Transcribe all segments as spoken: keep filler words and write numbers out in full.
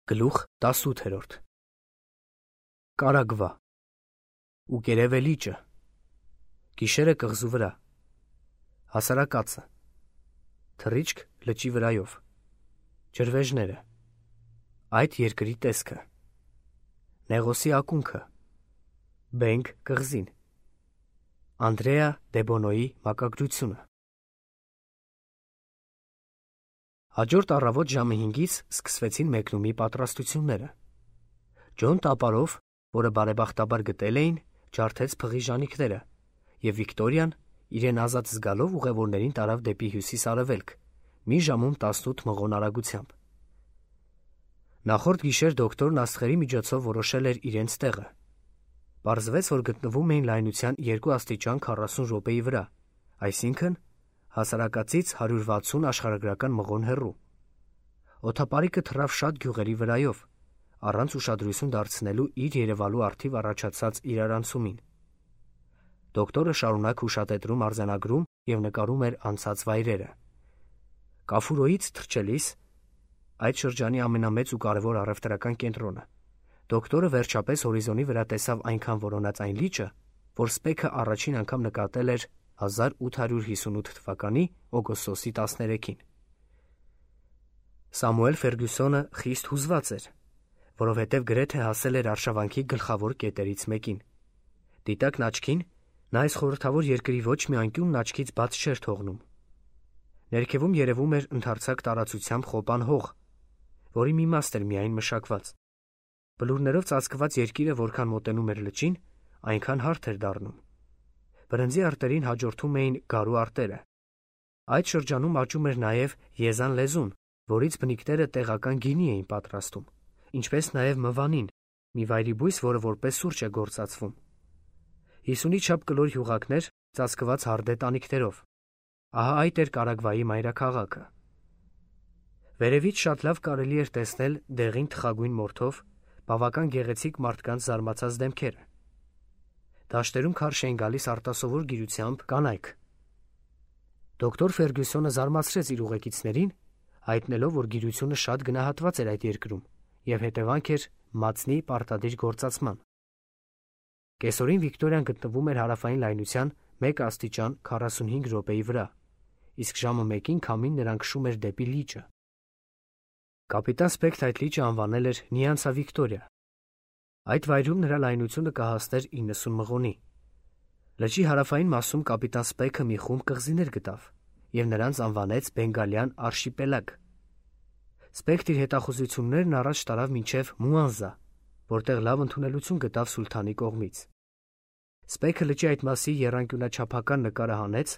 Գլուխ տասութերորդ Կարագվա ու կերև է լիճը, գիշերը կղզու վրա, հասարակածը, թռիչք լճի վրայով, ջրվեժները, այդ երկրի տեսքը, Նեղոսի ակունքը, Բենք կղզին, Անդրեա Դեբոնոյի մակագրությունը։ Հաջորդ առավոտ ժամը հինգից սկսվեցին մեկնումի պատրաստությունները։ Ջոն տապարով, որը բարեբախտաբար գտել էին, ջարդեց փղի ժանիքները, և Վիկտորիան, իրեն ազատ զգալով ուղևորներին տարավ դեպի հյուսիս-արևելք, մի ժամում տասնութ մղոն արագությամբ։ Նախորդ գիշեր դոկտորն աստղերի միջոցով որոշել էր իրենց տեղը։ Պարզվեց, որ գտնվում էին լայնության երկու աստիճան քառասուն րոպեի վրա, այսինքն հասարակածից հարյուր վաթսուն աշխարհագրական մղոն հեռու։ Օդապարիկը թռավ շատ գյուղերի վրայով, առանց ուշադրություն դարձնելու իր երևալու առթիվ առաջացած իրարանցումին։ Դոկտորը շարունակ հուշատետրում արձանագրում և նկարում էր անցած վայրերը։ Կաֆուրոյից թռչելիս, այդ շրջանի ամենամեծ ու կարևոր առևտրական կենտրոնը, դոկտորը վերջապես հորիզոնի վրա տեսավ այնքան որոնած այն լիճը, որ Սպեքը առաջին անգամ նկատել էր հազար ութ հարյուր հիսունութ թվականի օգոստոսի տասներեքին։ Սամուել Ֆերգյուսոնը խիստ հուզված էր, որովհետև գրեթե հասել էր արշավանքի գլխավոր կետերից մեկին։ Դիտակն աչքին, նա այս խորհրդավոր երկրի ոչ մի անկյունն աչքից բաց չէր թողնում։ Ներքևում երևում էր ընդարձակ տարածությամբ խոպան հող, որի մի մաս էր միայն մշակված։ Բլուրներով ծածկված երկիրը որքան մոտենում էր լճին, այնքան հարթ էր դառնում։ Բրնձի արտերին հաջորդում էին գարու արտերը։ Այդ շրջանում աճում էր նաև եզան լեզուն, որից բնիկները տեղական գինի էին պատրաստում, ինչպես նաև մվանին, մի վայրի բույս, որը որպես սուրճ է գործածվում։ Հիսունի չափ կլոր հյուղակներ, ծածկված հարդե տանիքներով։ Ահա այդ էր Կարագվայի մայրաքաղաքը։ Վերևից շատ լավ կարելի էր տեսնել դեղին թխագույն մորթով բավական գեղեցիկ մարդկանց զարմացած դեմքերը։ Դաշտերում քարշ էին գալիս արտասովոր գիրությամբ կանայք։ Դոկտոր Ֆերգյուսոնը զարմացրեց իր ուղեկիցներին, հայտնելով, որ գիրությունը շատ գնահատված էր այդ երկրում և հետևանք էր մածնի պարտադիր գործածման։ Կեսօրին Վիկտորիան գտնվում էր հարավային լայնության մեկ աստիճան քառասունհինգ րոպեի վրա, իսկ ժամը մեկին քամին նրան քշում էր դեպի լիճը։ Կապիտան Սպեքն այդ լիճը անվանել էր Նիանցա Վիկտորիա։ Այդ վայրում նրա լայնությունը կհասներ իննսուն մղոնի։ Լճի հարավային մասում կապիտան Սպեքը մի խումբ կղզիներ գտավ և նրանց անվանեց Բենգալյան արշիպելագ։ Սպեքն իր հետախուզություններն առաջ տարավ մինչև Մուանզա, որտեղ լավ ընդունելություն գտավ սուլթանի կողմից։ Սպեքը լճի այդ մասի եռանկյունաչափական նկարը հանեց,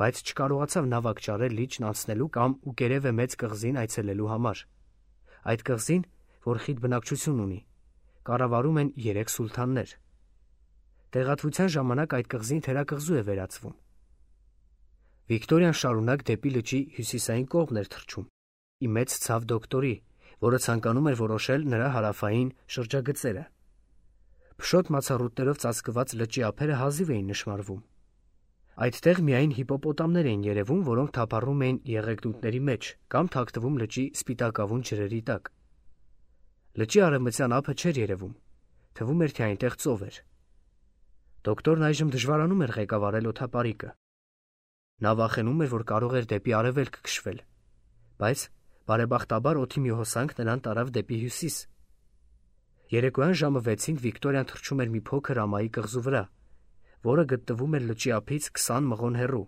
բայց չկարողացավ նավակ ճարել լիճն անցնելու կամ Ուկերևե մեծ կղզին այցելելու համար։ Այդ կղզին, որ խիտ բնակչություն ունի, կառավարում են երեք սուլթաններ։ Տեղատվության ժամանակ այդ կղզին թերակղզու է վերածվում։ Վիկտորիան շարունակ դեպի լճի հյուսիսային կողմն էր թռչում, ի մեծ ցավ դոկտորի, որը ցանկանում էր որոշել նրա հարավային շրջագծերը։ Փշոտ մացառուտներով ծածկված լճի ափերը հազիվ էին նշմարվում։ Այդտեղ միայն հիպոպոտամներ էին երևում, որոնք թափառում էին եղեգնուտների մեջ կամ թաքնվում լճի սպիտակավուն ջրերի տակ։ Լճի արևմտյան ափը չէր երևում, թվում էր, թե այնտեղ ծով էր։ Դոկտորն այժմ դժվարանում էր ղեկավարել օդապարիկը։ Նա վախենում էր, որ կարող էր դեպի արևելք քշվել, բայց բարեբախտաբար օդի մի հոսանք նրան տարավ դեպի հյուսիս։ Երեկոյան ժամը վեցին Վիկտորիան թռչում էր մի փոքր ամայի կղզու վրա, որը գտնվում էր լճի ափից քսան մղոն հեռու,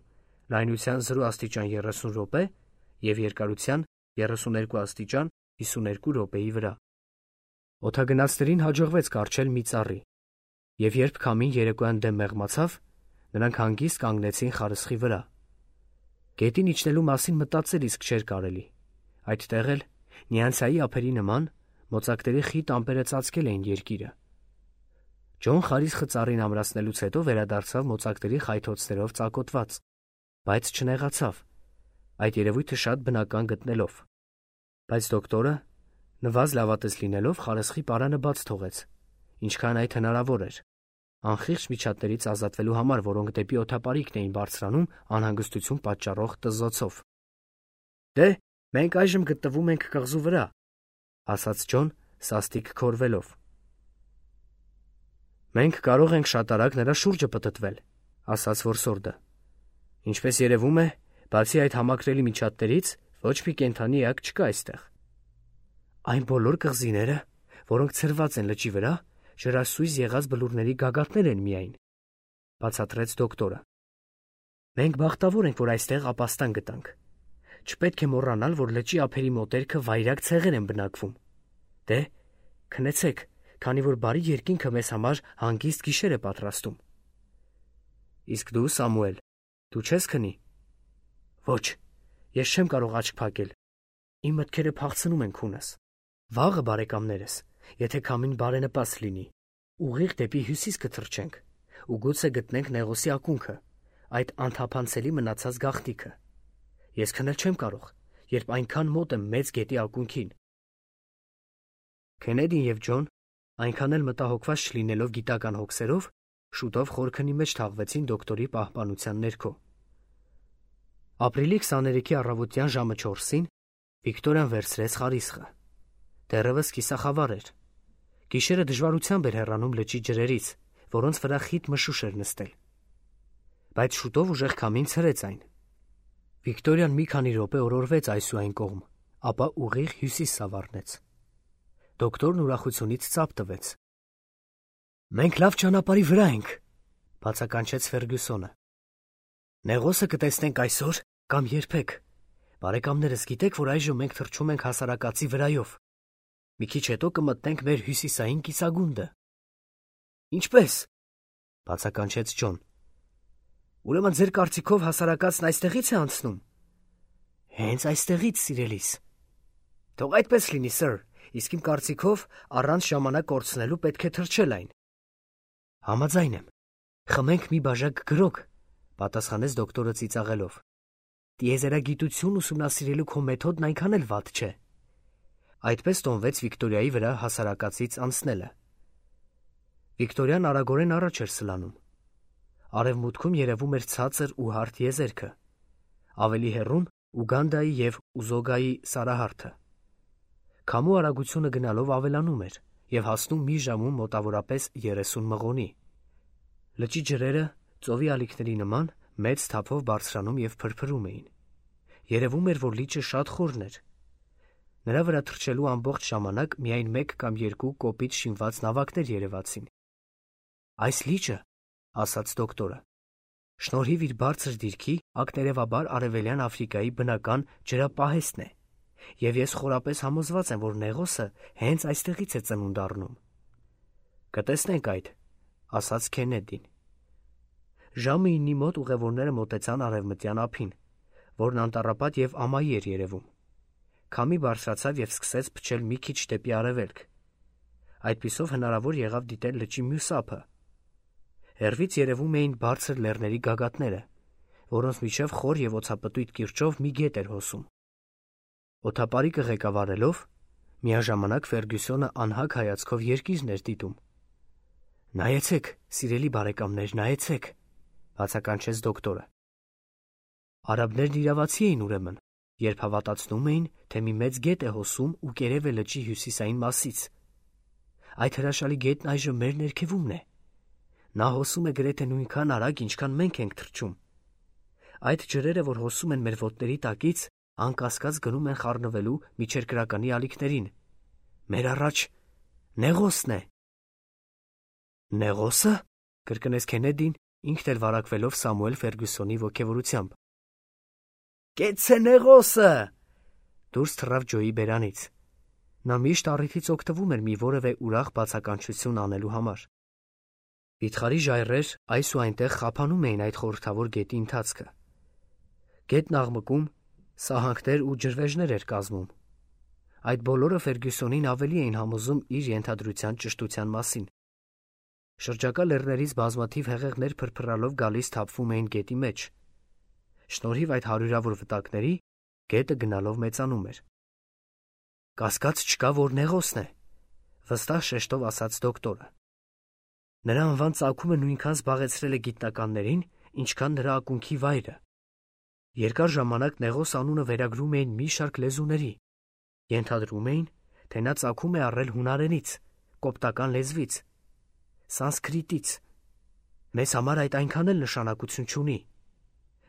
լայնության զրո աստիճան երեսուն րոպե և երկարության երեսուներկու աստիճան հիսուներկու րոպեի վրա։ Օդագնացներին հաջողվեց կառչել մի ծառի, և երբ քամին երեկոյան դեմ մեղմացավ, նրանք հանգիստ կանգնեցին խարսխի վրա։ Գետին իջնելու մասին մտածել իսկ չէր կարելի։ Այդտեղ էլ, Նիանցայի ափերի նման, մոծակների խիտ ամպերը ծածկել էին երկիրը։ Ջոն խարիսխը ծառին ամրացնելուց հետո վերադարձավ մոծակների խայթոցներով ծակոտված, բայց չնեղացավ, այդ երևույթը շատ բնական գտնելով։ Բայց դոկտորը, նվազ լավատես լինելով, խարսխի պարանը բաց թողեց, ինչքան այդ հնարավոր էր, անխիղճ միջատներից ազատվելու համար, որոնք դեպի օդապարիկն էին բարձրանում անհանգստություն պատճառող տզզոցով։ «Դե, մենք այժմ գտնվում ենք կղզու վրա», ասաց Ջոն, սաստիկ քորվելով։ Մենք կարող ենք շատ արագ նրա շուրջը պտտվել, ասաց որսորդը։ Ինչպես երևում է, բացի այդ համակրելի միջատներից, ոչ մի կենդանի էակ չկա այստեղ։ Այն բոլոր կղզիները, որոնք ցրված են լճի վրա, ջրասույզ եղած բլուրների գագաթներ են միայն, բացատրեց դոկտորը։ Մենք բախտավոր ենք, որ այստեղ ապաստան գտանք։ Չպետք է մոռանալ, որ լճի ափերի մոտերքը վայրագ ցեղեր են բնակվում։ Դե, քնեցեք, քանի որ բարի երկինքը մեզ համար հանգիստ գիշեր է պատրաստում։ Իսկ դու, Սամուել, դու չես քնի։ Ոչ, ես չեմ կարող աչք փակել։ Իմ մտքերը փախցնում են քունս։ Վաղը, բարեկամներս, եթե քամին բարենպաստ լինի, ուղիղ դեպի հյուսիս կթռչենք ու գուցե գտնենք Նեղոսի ակունքը, այդ անթափանցելի մնացած գաղտնիքը։ Ես քնել չեմ կարող, երբ այնքան մոտ եմ մեծ գետի ակունքին։ Քենեդին եւ Ջոն, այնքան էլ մտահոգված չլինելով գիտական հոգսերով, շուտով խորքնի մեջ թաղվեցին դոկտորի պահպանության ներքո։ Ապրիլի քսաներեքի առավոտյան ժամը չորսին Վիկտորիան վերցրեց խարիսխը։ Դեռևս կիսախավար էր։ Գիշերը դժվարությամբ էր հեռանում լճի ջրերից, որոնց վրա խիտ մշուշ էր նստել։ Բայց շուտով ուժեղ քամին ցրեց այն։ Վիկտորիան մի քանի րոպե օրորվեց այս ու այն կողմ, ապա ուղիղ հյուսիս սավառնեց։ Դոկտորն ուրախությունից ծափ տվեց։ Մենք լավ ճանապարհի վրա ենք, բացականչեց Ֆերգյուսոնը։ Նեղոսը կտեսնենք այսօր կամ երբեք։ Բարեկամներս, գիտեք, որ այժմ մենք թռչում ենք հասարակածի վրայով։ Մի քիչ հետո կմտնենք մեր հյուսիսային կիսագունդը։ Ինչպես, բացականչեց Ջոն։ Ուրեմն ձեր կարծիքով հասարակածն այստեղից է անցնում։ Հենց այստեղից, սիրելիս։ Թող այդպես լինի, սըր, իսկ իմ կարծիքով առանց ժամանակ կորցնելու պետք է թռչել այն։ Համաձայն եմ։ Խմենք մի բաժակ գրոգ, պատասխանեց դոկտորը ծիծաղելով։ Տիեզերագիտություն ուսումնասիրելու քո մեթոդն այնքան էլ վատ չէ։ Այդպես տոնվեց Վիկտորիայի վրա հասարակածից անցնելը։ Վիկտորիան արագորեն առաջ էր սլանում։ Արևմուտքում երևում էր ցածր ու հարթ եզերքը, ավելի հեռուն Ուգանդայի և Ուզոգայի սարահարթը։ Քամու արագությունը գնալով ավելանում էր և հասնում մի ժամում մոտավորապես երեսուն մղոնի։ Լճի ջրերը, ծովի ալիքների նման, մեծ թափով բարձրանում և փրփրում էին։ Երևում էր, որ լիճը շատ խորն էր։ Նրա վրա թռչելու ամբողջ ժամանակ միայն մեկ կամ երկու կոպիտ շինված նավակներ երևացին։ Այս լիճը, ասաց դոկտորը, շնորհիվ իր բարձր դիրքի, ակտերևաբար Արևելյան Աֆրիկայի բնական ջրապահեստն է, և ես խորապես համոզված եմ, որ Նեղոսը հենց այստեղից է ծնունդ առնում։ Կտեսնենք այդ, ասաց Քենեդին։ Ժամը իննի մոտ ուղևորները մոտեցան արևմտյան ափին, որն անտառապատ և ամայի էր երևում։ Քամի բարձրացավ և սկսեց փչել մի քիչ դեպի արևելք։ Այդպիսով հնարավոր եղավ դիտել լճի մյուս ափը։ Հեռվից երևում էին բարձր լեռների գագաթները, որոնց միջև խոր և օձապտույտ կիրճով մի գետ էր հոսում։ Օդապարիկը ղեկավարելով, միաժամանակ Ֆերգյուսոնը անհագ հայացքով երկիրն էր դիտում։ Նայեցեք, սիրելի բարեկամներ, նայեցեք, բացականչեց դոկտորը։ Արաբներն իրավացի էին ուրեմն, երբ հավատացնում էին, թե մի մեծ գետ է հոսում ու կերև է լճի հյուսիսային մասից։ Այդ հրաշալի գետն այժմ մեր ներքևումն է։ Նա հոսում է գրեթե նույնքան արագ, ինչքան մենք ենք թռչում։ Այդ ջրերը, որ հոսում են մեր ոտների տակից, անկասկած գնում են խառնվելու միջերկրականի ալիքներին։ Մեր առաջ Նեղոսն է։ Նեղոսը, կրկնեց Քենեդին, ինքն էլ վարակվելով Սամուել Ֆերգյուսոնի ոգևորությամբ։ Կեցցե Նեղոսը, դուրս թռավ Ջոյի բերանից։ Նա միշտ առիթից օգտվում էր մի որևէ ուրախ բացականչություն անելու համար։ Վիթխարի ժայռեր այս ու այնտեղ խափանում էին այդ խորհրդավոր գետի ընթացքը։ Գետն աղմկում, սահանքներ ու ջրվեժներ էր կազմում։ Այդ բոլորը Ֆերգյուսոնին ավելի էին համոզում իր ենթադրության ճշտության մասին։ Շրջակա լեռներից բազմաթիվ հեղեղներ փրփրալով գալիս թափվում էին գետի մեջ։ Շնորհիվ այդ հարյուրավոր վտակների, գետը գնալով մեծանում էր։ Կասկած չկա, որ Նեղոսն է, վստահ շեշտով ասաց դոկտորը։ Նրա անվան ծագումը նույնքան զբաղեցրել է գիտնականներին, ինչքան նրա ակունքի վայրը։ Երկար ժամանակ Նեղոս անունը վերագրում էին մի շարք լեզուների։ Ենթադրում էին, թե նա ծագում է առել հունարենից, կոպտական լեզվից, սանսկրիտից։ Մեզ համար այդ այնքան էլ նշանակություն չունի։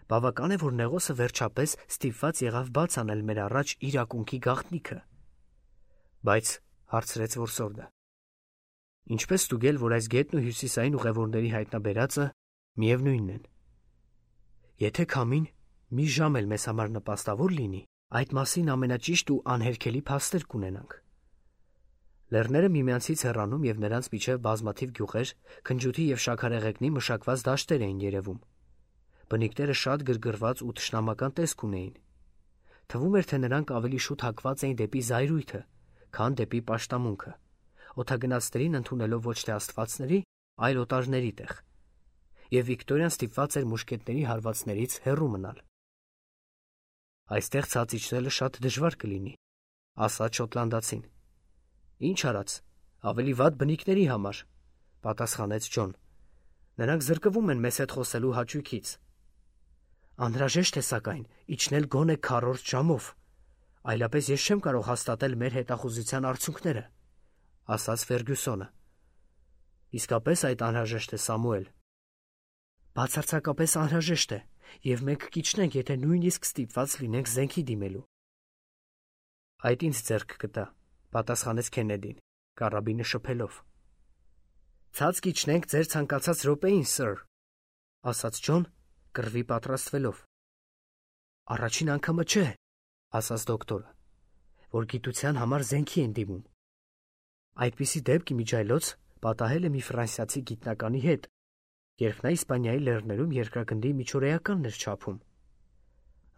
Բավական է, որ Նեղոսը վերջապես ստիպված եղավ բաց անել մեր առաջ իր ակունքի գաղտնիքը։ Բայց, հարցրեց որսորդը, ինչպես ստուգել, որ այս գետն ու հյուսիսային ուղևորների հայտնաբերածը միևնույնն են։ Եթե քամին մի ժամ էլ մեզ համար նպաստավոր լինի, այդ մասին ամենաճիշտ ու անհերքելի փաստեր կունենանք։ Լեռները միմյանցից հեռանում և նրանց միջև բազմաթիվ գյուղեր, քնջութի և շաքարեղեգնի մշակված դաշտեր էին երևում։ Բնիկները շատ գրգռված ու թշնամական տեսք ունեին։ Թվում էր, թե նրանք ավելի շուտ հակված էին դեպի զայրույթը, քան դեպի պաշտամունքը, օդագնացներին ընդունելով ոչ թե աստվածների, այլ օտարների տեղ, և Վիկտորիան ստիպված էր մուշկետների հարվածներից հեռու մնալ։ Այստեղ ցած իջնելը շատ դժվար կլինի, ասաց շոտլանդացին։ Ինչ արած, ավելի վատ բնիկների համար, պատասխանեց Ջոն։ Նրանք զրկվում են մեզ հետ խոսելու հաճույքից։ Անհրաժեշտ է, սակայն, իջնել գոնե քառորդ ժամով, այլապես ես չեմ կարող հաստատել մեր հետախուզության արդյունքները, ասաց Ֆերգյուսոնը։ Իսկապես այդ անհրաժեշտ է, Սամուել։ Բացարձակապես անհրաժեշտ է, և մենք կիջնենք, եթե նույնիսկ ստիպված լինենք զենքի դիմելու։ Այդ ինձ ձեռք կտա, պատասխանեց Քեննեդին, կարաբինը շփելով։ Ցած կիջնենք ձեր ցանկացած րոպեին, սըր, ասաց Ջոն, կռվի պատրաստվելով։ Առաջին անգամը չէ, ասաց դոկտորը, որ գիտության համար զենքի են դիմում։ Այդպիսի դեպք իմիջայլոց պատահել է մի ֆրանսիացի գիտնականի հետ, երբ նա Իսպանիայի լեռներում երկրագնդի միջօրեականն էր չափում։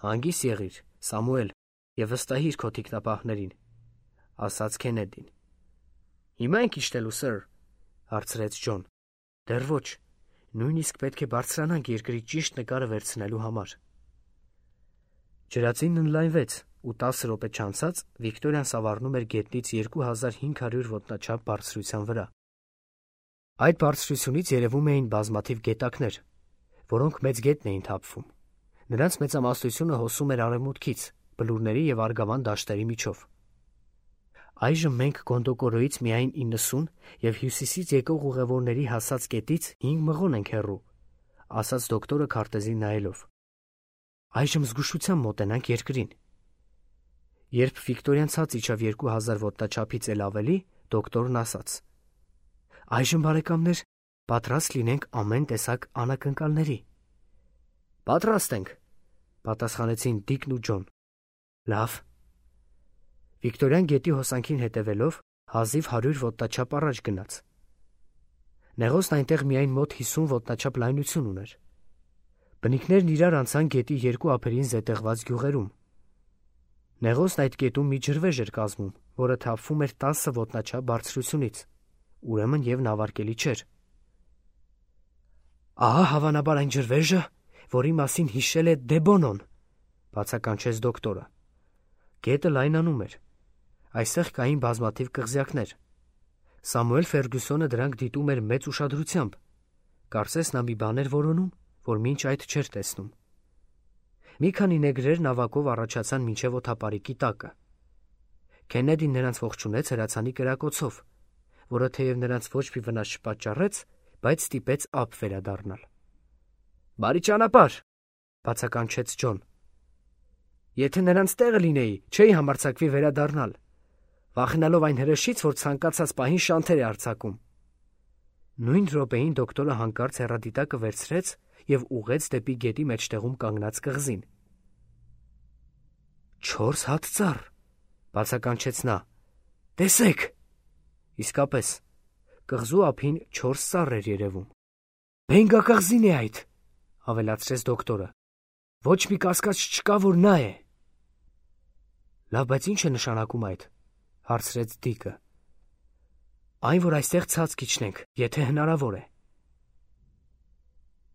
Հանգիստ եղիր, Սամուել, և վստահիր քո թիկնապահներին, ասաց Քեննեդին։ Հիմա ենք իջնելու, սըր, հարցրեց Ջոն։ Դեռ ոչ, նույնիսկ պետք է բարձրանանք երկրի ճիշտ նկարը վերցնելու համար։ Ջրածինն ընդլայնվեց, ու տասը րոպե չանցած Վիկտորիան սավառնում էր գետնից երկու հազար հինգ հարյուր ոտնաչափ բարձրության վրա։ Այդ բարձրությունից երևում էին բազմաթիվ գետակներ, որոնք մեծ գետն էին թափվում։ Նրանց մեծամասնությունը հոսում էր արևմուտքից, բլուրների և արգավան դաշտերի միջով։ Այժմ մենք Գոնդոկորոյից միայն իննսուն և հյուսիսից եկող ուղևորների հասած կետից հինգ մղոն ենք հեռու, ասաց դոկտորը քարտեզին նայելով։ Այժմ զգուշությամբ մոտենանք երկրին։ Երբ Վիկտորիան ցած իջավ երկու հազար ոտնաչափից էլ ավելի, դոկտորն ասաց. Այժմ, բարեկամներ, պատրաստ լինենք ամեն տեսակ անակնկալների։ Պատրաստ ենք, պատասխանեցին Դիկն ու Ջոն։ Լավ։ Վիկտորիան գետի հոսանքին հետևելով հազիվ հարյուր ոտնաչափ առաջ գնաց։ Նեղոսն այնտեղ միայն մոտ հիսուն ոտնաչափ լայնություն ուներ։ Բնիկներն իրար անցան գետի երկու ափերին զետեղված գյուղերում։ Նեղոսն այդ կետում մի ջրվեժ էր կազմում, որը թափվում էր տասը ոտնաչափ բարձրությունից, ուրեմն և նավարկելի չէր։ Ահա հավանաբար այն ջրվեժը, որի մասին հիշել է Դեբոնոն, բացականչեց դոկտորը։ Գետը լայնանում էր։ Այստեղ կային բազմաթիվ կղզյակներ։ Սամուել Ֆերգյուսոնը դրանք դիտում էր մեծ ուշադրությամբ։ Կարծես նա մի բան էր որոնում, որ մինչ այդ չէր տեսնում։ Մի քանի նեգրեր նավակով առաջացան մինչև օդապարիկի տակը։ Քեննեդին նրանց ողջունեց հրացանի կրակոցով, որը թեև նրանց ոչ մի վնաս չպատճառեց, բայց ստիպեց ափ վերադառնալ։ Բարի ճանապարհ, բացականչեց Ջոն։ Եթե նրանց տեղը լինեի, չէի համարձակվի վերադառնալ, վախենալով այն հրեշից, որ ցանկացած պահին շանթեր է արձակում։ Նույն րոպեին դոկտորը հանկարծ հեռադիտակը վերցրեց և ուղղեց դեպի գետի մեջտեղում կանգնած կղզին։ Չորս հատ ծառ, բացականչեց նա։ Տեսեք։ Իսկապես, կղզու ափին չորս ծառ էր երևում։ Բենգակղզին է այդ, ավելացրեց դոկտորը։ Ոչ մի կասկած չկա, որ նա է։ Լավ, բայց ինչ է նշանակում այդ, հարցրեց Դիկը։ Այն, որ այստեղ ցած կիջնենք, եթե հնարավոր է։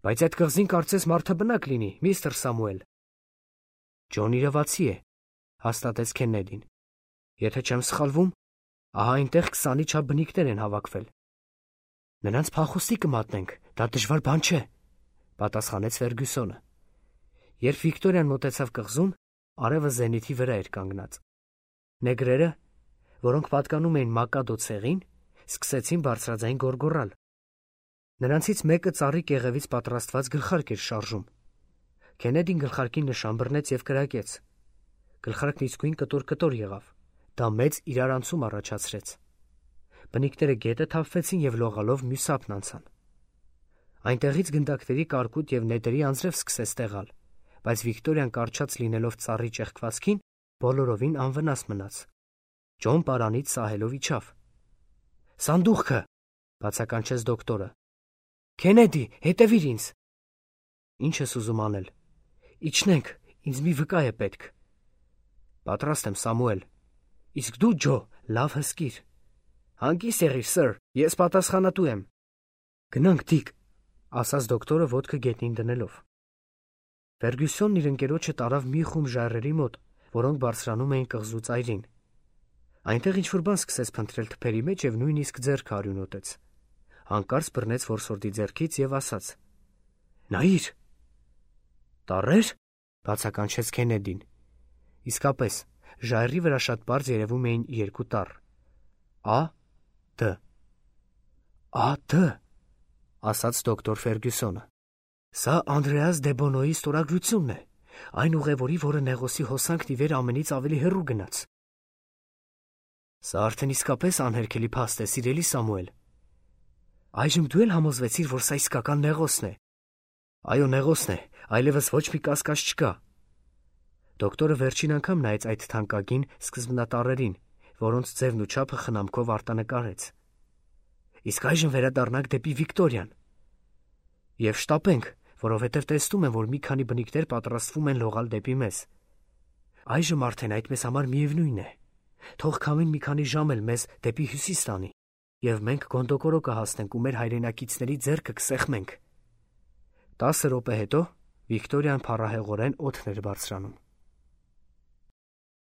Բայց այդ կղզին կարծես մարդաբնակ լինի, միստր Սամուել։ Ջոն իրավացի է, հաստատեց Քեննեդին։ Եթե չեմ սխալվում, ահա այնտեղ քսանի չափ բնիկներ են հավաքվել։ Նրանց փախուստի կմատնենք, դա դժվար բան չէ, պատասխանեց Ֆերգյուսոնը։ Երբ Վիկտորիան մոտեցավ կղզուն, արևը զենիթի վրա էր կանգնած։ Նեգրերը, որոնք պատկանում էին Մակադո ցեղին, սկսեցին բարձրաձայն գոռգոռալ։ Նրանցից մեկը ծառի կեղևից պատրաստված գլխարկ էր շարժում։ Քենեդին գլխարկին նշան բռնեց եւ կրակեց։ Գլխարկն իսկույն կտոր-կտոր եղավ։ Դա մեծ իրարանցում առաջացրեց։ Բնիկները գետը թափվեցին եւ լողալով մյուս ափն անցան։ Այնտեղից գնդակների կարկուտ եւ նետերի անձրև սկսեց տեղալ, բայց Վիկտորիան կարճած լինելով ծառի ճեղքվածքին, բոլորովին անվնաս մնաց։ Ջոն պարանից սահելով իջավ։ «Սանդուղքը», բացականչեց դոկտորը։ «Քենեդի, հետևիր ինձ»։ «Ինչ ես ուզում անել»։ «Իջնենք, ինձ մի վկա է պետք»։ «Պատրաստ եմ, Սամուել»։ «Իսկ դու, Ջո, լավ հսկիր»։ «Հանգիստ եղիր, սըր, ես պատասխանատու եմ»։ «Գնանք, Դիկ», ասաց դոկտորը ոտքը գետնին դնելով։ Ֆերգյուսոնն իր ընկերոջը տարավ մի խումբ ժայռերի մոտ, որոնք բարձրանում էին կղզու ծայրին։ Այնտեղ ինչ-որ բան սկսեց փնտրել թփերի մեջ եւ նույնիսկ ձեռքը արյունոտեց։ Հանկարծ բռնեց որսորդի ձեռքից եւ ասաց. «Նայիր»։ «Տառե՞ր», բացականչեց Քենեդին։ Իսկապես, ժայռի վրա շատ պարզ երևում էին երկու տառ։ Ա. Դ. Ա. Դ. ասաց դոկտոր Ֆերգյուսոնը։ Սա Անդրեաս Դեբոնոյի ստորագրությունն է, այն ուղևորի, որը Նեղոսի հոսանքն ի վեր ամենից ավելի հեռու գնաց։ Սա արդեն իսկապես անհերքելի փաստ է, սիրելի Սամուել։ Այժմ դու էլ համոզվեցիր, որ սա իսկական Նեղոսն է։ Այո, Նեղոսն է, այլևս ոչ մի կասկած չկա։ Դոկտորը վերջին անգամ նայեց այդ թանկագին սկզբնատառերին, որոնց ձևն ու չափը խնամքով արտանկարեց։ Իսկ այժմ վերադառնանք դեպի Վիկտորիան։ Եվ շտապենք, որովհետև տեսնում եմ, որ մի քանի բնիկներ պատրաստվում են լողալ դեպի մեզ։ Այժմ արդեն այդ մեզ համար միևնույն է։ Թող քամին մի քանի ժամ էլ մեզ դեպի հյուսիս տանի, եւ մենք Գոնդոկորո կհասնենք ու մեր հայրենակիցների ձեռքը կսեղմենք։ Տասը րոպե հետո Վիկտորիան փառահեղորեն օդն էր բարձրանում։